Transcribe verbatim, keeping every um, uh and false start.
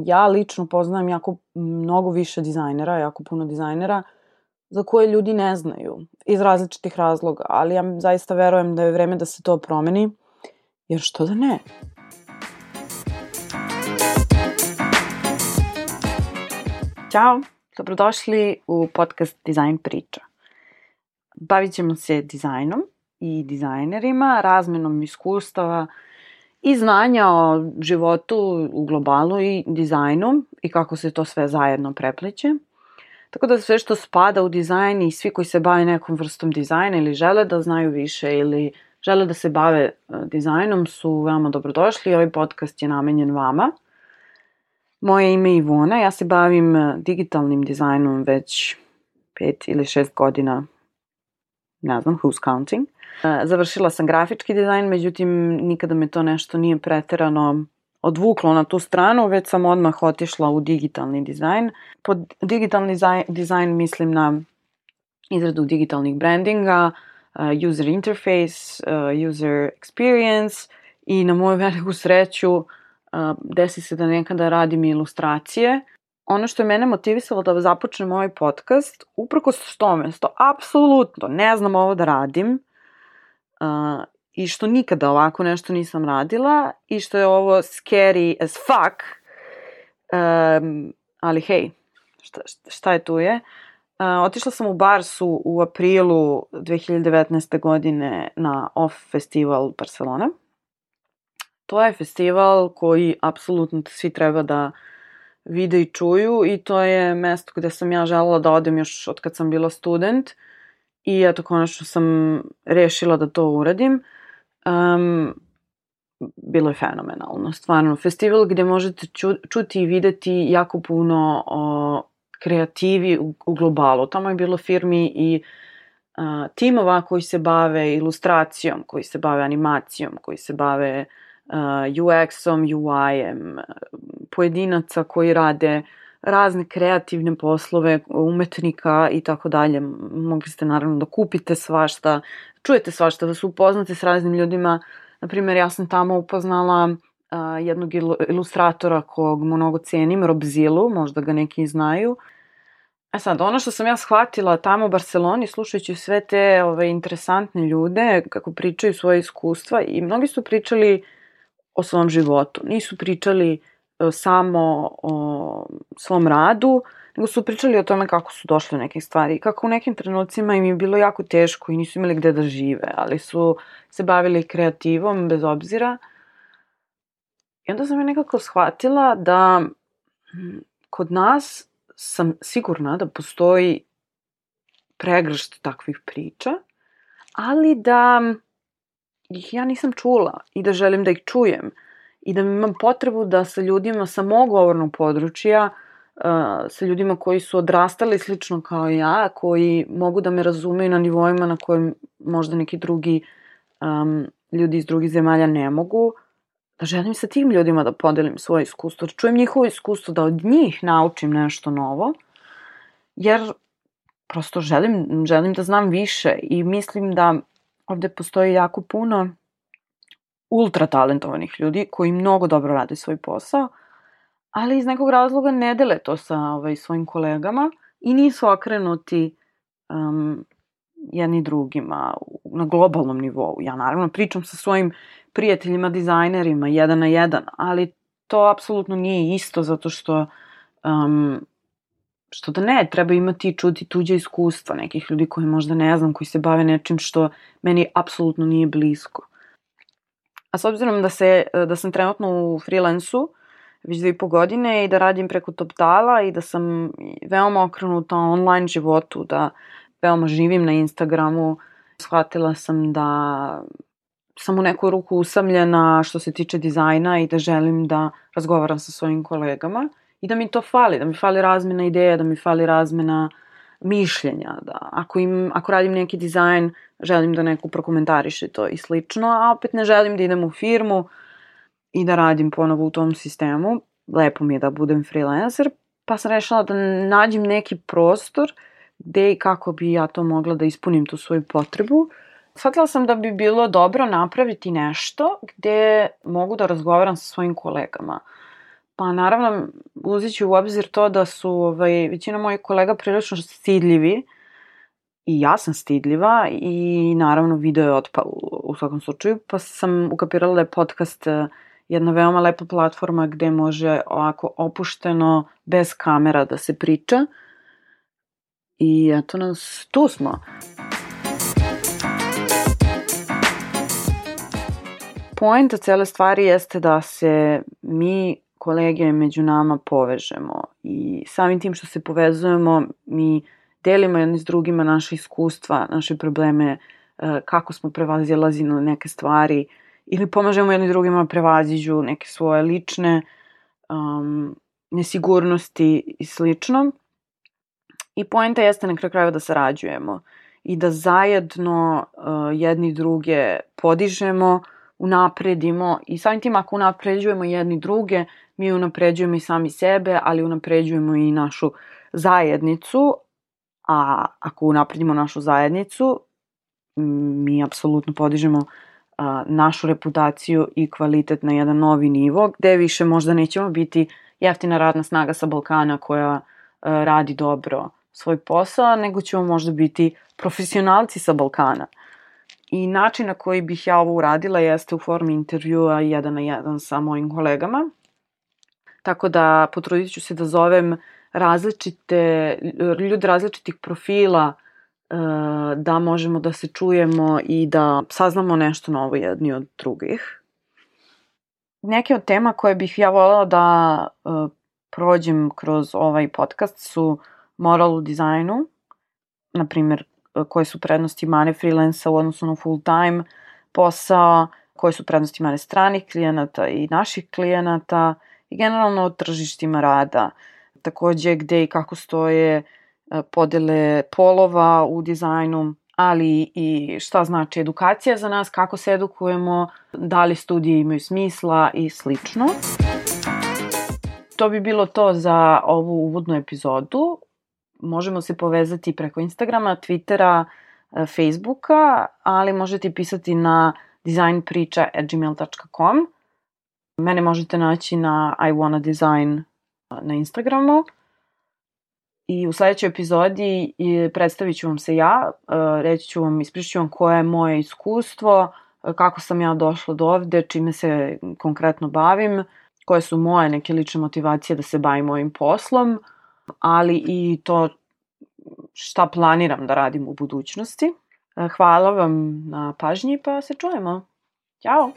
ja lično poznajem jako mnogo više dizajnera, jako puno dizajnera za koje ljudi ne znaju iz različitih razloga, ali ja zaista verujem da je vreme da se to promeni, jer što da ne? Ćao, dobrodošli u podcast Dizajn priča. Bavit ćemo se dizajnom i dizajnerima, razmenom iskustava i znanja o životu u globalu i dizajnu i kako se to sve zajedno prepliće. Tako da sve što spada u dizajn i svi koji se bave nekom vrstom dizajna ili žele da znaju više ili žele da se bave dizajnom su veoma dobrodošli. Ovaj podcast je namenjen vama. Moje ime je Ivona, ja se bavim digitalnim dizajnom već pet ili šest godina, ne znam, who's counting. Završila sam grafički dizajn, međutim nikada me to nešto nije preterano odvuklo na tu stranu, već sam odmah otišla u digitalni dizajn. Pod digitalni dizajn mislim na izradu digitalnih brandinga, user interface, user experience i na moju veliku sreću desi se da nekada radim ilustracije. Ono što je mene motivisalo da započnem ovaj podcast, uprkos tome što apsolutno ne znam ovo da radim uh, i što nikada ovako nešto nisam radila i što je ovo scary as fuck, um, ali hej, šta, šta je tu je? Uh, otišla sam u Barsu u aprilu dve hiljade devetnaeste. godine na Off festival Barcelona. To je festival koji apsolutno svi treba da vide i čuju i to je mesto gde sam ja želela da odem još od kad sam bila student i eto konačno sam rešila da to uradim. Um, bilo je fenomenalno, stvarno. Festival gde možete ču, čuti i videti jako puno o kreativi u, u globalu. Tamo je bilo firmi i uh, timova koji se bave ilustracijom, koji se bave animacijom, koji se bave Uh, U X-om, U I-em, pojedinaca koji rade razne kreativne poslove, umetnika i tako dalje. Mogli ste naravno da kupite svašta, čujete svašta, da se upoznate s raznim ljudima. Naprimjer, ja sam tamo upoznala uh, jednog ilustratora kog mnogo cenim, Rob Zilu, možda ga neki znaju. A sad, ono što sam ja shvatila tamo u Barceloni, slušajući sve te ove, interesantne ljude, kako pričaju svoje iskustva, i mnogi su pričali o svom životu. Nisu pričali uh, samo o svom radu, nego su pričali o tome kako su došli u neke stvari. Kako u nekim trenucima im je bilo jako teško i nisu imali gde da žive, ali su se bavili kreativom bez obzira. I onda sam je nekako shvatila da kod nas sam sigurna da postoji pregršt takvih priča, ali da ih ja nisam čula i da želim da ih čujem i da imam potrebu da sa ljudima sa mog govornog područja, uh, sa ljudima koji su odrastali slično kao ja, koji mogu da me razumeju na nivoima na kojim možda neki drugi um, ljudi iz drugih zemalja ne mogu, da želim sa tim ljudima da podelim svoje iskustvo, da čujem njihovo iskustvo, da od njih naučim nešto novo, jer prosto želim, želim da znam više i mislim da ovde postoji jako puno ultra talentovanih ljudi koji mnogo dobro rade svoj posao, ali iz nekog razloga ne dele to sa ovaj, svojim kolegama i nisu okrenuti um, jedni drugima na globalnom nivou. Ja naravno pričam sa svojim prijateljima, dizajnerima, jedan na jedan, ali to apsolutno nije isto zato što um, što da ne, treba imati i čuti tuđe iskustva nekih ljudi koji možda ne znam, koji se bave nečim što meni apsolutno nije blisko. A s obzirom da, se, da sam trenutno u freelansu već dve i po godine i da radim preko Toptala i da sam veoma okrenuta online životu, da veoma živim na Instagramu, shvatila sam da sam u neku ruku usamljena što se tiče dizajna i da želim da razgovaram sa svojim kolegama. I da mi to fali, da mi fali razmena ideja, da mi fali razmena mišljenja. Da ako, im, ako radim neki dizajn, želim da neko prokomentariše to i slično, a opet ne želim da idem u firmu i da radim ponovo u tom sistemu. Lepo mi je da budem freelancer, pa sam rešila da nađem neki prostor gde i kako bi ja to mogla da ispunim tu svoju potrebu. Shvatila sam da bi bilo dobro napraviti nešto gde mogu da razgovaram sa svojim kolegama. Pa naravno, uzeći u obzir to da su ovaj, većina mojih kolega prilično stidljivi i ja sam stidljiva i naravno video je otpao u, u svakom slučaju, pa sam ukapirala da je podcast jedna veoma lepa platforma gde može ovako opušteno, bez kamera da se priča. I eto nas, tu smo. Poenta cele stvari jeste da se mi, kolege, među nama povežemo i samim tim što se povezujemo, mi delimo jedni s drugima naše iskustva, naše probleme, kako smo prevazilazili na neke stvari ili pomažemo jedni drugima prevaziđu neke svoje lične um, nesigurnosti i slično. I poenta jeste na kraju krajeva da sarađujemo i da zajedno uh, jedni druge podižemo, unapredimo i samim tim ako unapređujemo jedni druge, mi unapređujemo i sami sebe, ali unapređujemo i našu zajednicu, a ako unapredimo našu zajednicu, mi apsolutno podižemo a, našu reputaciju i kvalitet na jedan novi nivo, gde više možda nećemo biti jeftina radna snaga sa Balkana koja a, radi dobro svoj posao, nego ćemo možda biti profesionalci sa Balkana. I način na koji bih ja ovo uradila jeste u formi intervjua jedan na jedan sa mojim kolegama. Tako da potrudit ću se da zovem različite, ljude različitih profila, da možemo da se čujemo i da saznamo nešto novo jedni od drugih. Neke od tema koje bih ja voljela da prođem kroz ovaj podcast su moral u dizajnu, na primjer koje su prednosti mane freelansa u odnosu na full time posao, koje su prednosti mane stranih klijenata i naših klijenata i generalno o tržištima rada. Takođe gde i kako stoje podele polova u dizajnu, ali i šta znači edukacija za nas, kako se edukujemo, da li studije imaju smisla i slično. To bi bilo to za ovu uvodnu epizodu. Možemo se povezati preko Instagrama, Twittera, Facebooka, ali možete pisati na designpriča at gmail dot com. Mene možete naći na I wanna design na Instagramu. I u sledećoj epizodi predstavit ću vam se ja, reći ću vam, ispričat ću vam koje je moje iskustvo, kako sam ja došla do ovde, čime se konkretno bavim, koje su moje neke lične motivacije da se bavim ovim poslom, ali i to šta planiram da radim u budućnosti. Hvala vam na pažnji pa se čujemo. Ćao!